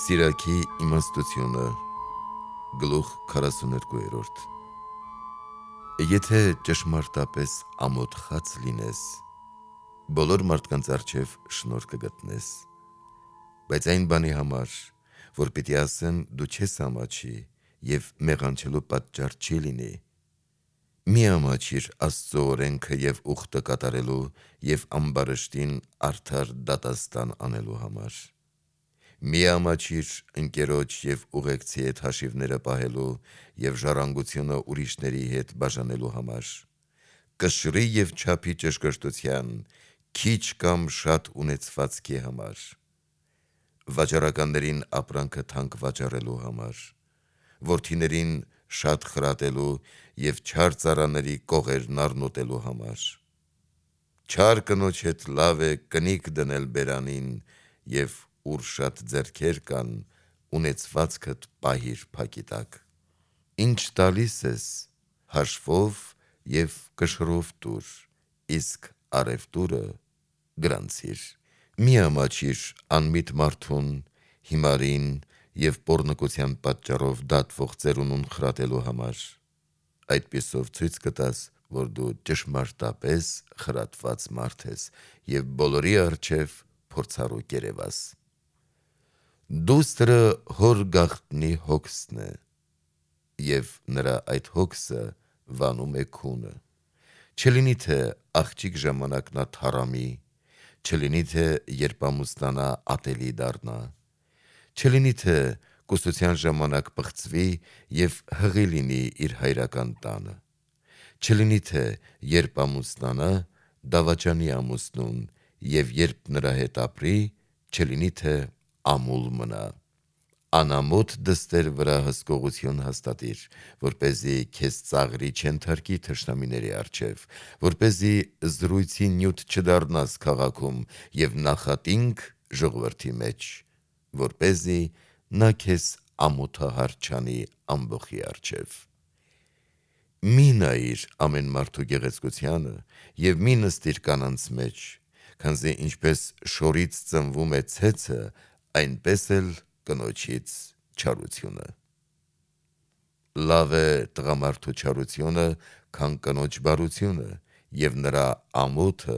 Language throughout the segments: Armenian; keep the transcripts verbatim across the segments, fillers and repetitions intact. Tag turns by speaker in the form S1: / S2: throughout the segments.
S1: Սիրակի իմաստությունը գլուխ քառասուներկու Եթե ճշմարտապես ամոթխած լինես, բոլոր մարդկանց առջև շնորհ կգտնես, բայց այն բանի համար, որ պիտի ասեմ դու չես ամաչի և մեղանչելու պատճառ չի լինի, մի ամաչիր Աստծո օրենքը և ուխտը կատարելու և ամբարշտին արդար դատաստան անելու համար: Մի ամաչիր ընկերոջ և ուղեկցի հետ հաշիվները պահելու և ժառանգությունը ուրիշների հետ բաժանելու համար, կշռի և չափի ճշգրտության, քիչ կամ շատ ունեցվածքի համար, վաճառականներին ապրանքը թանկ վաճառելու համար, որդիներին շատ խրատելու և չար ծառաների կողերն առնոտելու համար: Չար կնոջ հետ լավ է կնիկ դնել բերանին և ուր շատ ձեռքեր կան, ունեցվածքդ պահիր փակի տակ: Ինչ տալիս ես, հաշվով և կշռով տուր, իսկ առևտուրը գրանցիր: Մի ամաչիր անմիտ մարդուն, հիմարին և պոռնկության պատճառով դատվող ծերունուն խրատելու համար, այդպիսով ցույց կտաս, որ դու ճշմարտապես խրատված մարդ ես և բոլորի առջև փորձառու կերեւաս: Դուստրը հոր գաղտնի հոգսն է, և նրա այդ հոգսը վանում է քունը: Չլինի թե աղջիկ ժամանակ նա թառամի, չլինի թե երբ ամուսնանա ատելի դառնա, չլինի թե կուսության ժամանակ պղծվի և հղի լինի իր հայրական տանը, չլինի թե երբ ամուսնանա դավաճանի ամուսնուն և երբ նրա հետ ապրի, չլինի թե ամուլ մնա: Անամոթ դստեր վրա հսկողություն հաստատիր, որպեսզի քեզ ծաղրի չենթարկի թշնամիների առջև, որպեսզի զրույցի նյութ չդառնաս քաղաքում և նախատինք ժողովրդի մեջ, որպեսզի նա քեզ ամոթահար չանի ամբոխի առջև: Մի նայիր ամեն մարդու գեղեցկությանը և մի նստիր կանանց մեջ, քանզի ինչպես շորից ծնվում է ցեցը, այնպես էլ կնոջից չարությունը: Լավ է տղամարդու չարությունը, քան կնոջ բարությունը և նրա ամոթը,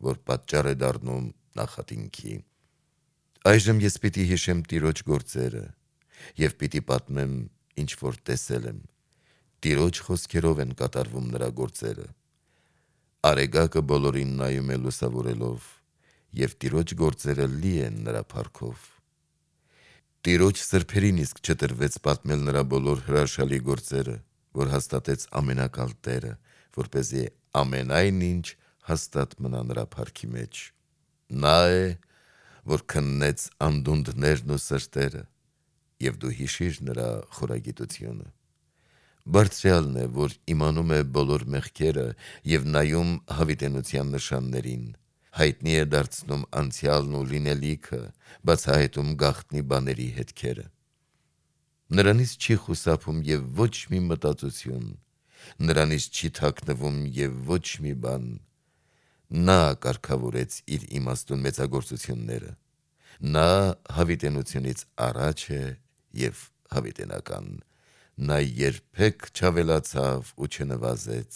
S1: որ պատճառ է դառնում նախատինքի: Այժմ ես պիտի հիշեմ Տիրոջ գործերը և պիտի պատմեմ ինչ որ տեսել եմ: Տիրոջ խոսքերով են կատարվում նրա գործերը: Արեգակը բոլորին նայում է լուսավորելով և Տիրոջ գործերը լի են նրա փառքով: Տիրոջ սրբերին իսկ չտրվեց պատմել նրա բոլոր հրաշալի գործերը, որ հաստատեց ամենակալ Տերը, որպեսզի ամենայն ինչ հաստատ մնա նրա փառքի մեջ: Նա է, որ քննեց անդունդներն ու սրտերը, և դու հիշիր նրա խորագիտությունը: Բարձրյալն է, որ իմանում է բոլոր մեղքերը և նայում հավիտենության նշաններին, հայտնի է դարձնում անցյալն ու լինելիքը, բացահայտում գաղտնի բաների հետքերը: Նրանից չի խուսափում և ոչ մի մտածություն, նրանից չի թաքնվում և ոչ մի բան: Նա կարգավորեց իր իմաստուն մեծագործությունները: Նա հավիտենությունից առաջ է և հավիտենական: Նա երբեք չավելացավ ու չնվազեց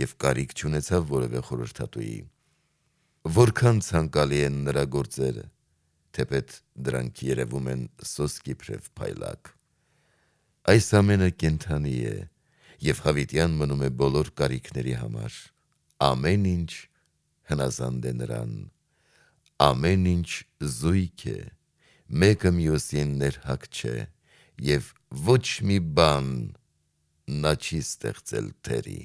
S1: և կարիք չունեցավ որևէ խորհրդատուի: Որքան ցանկալի են նրա գործերը, թեպետ դրանք երևում են սոսկի փրև փայլակ: Այս ամենը կենդանի է և հավիտյան մնում է բոլոր կարիքների համար: Ամեն ինչ հնազանդ է նրան: Ամեն ինչ զույգ է, մեկը մյուսին ներհակ չէ և ոչ մի բան նա չի ստեղծել թերի: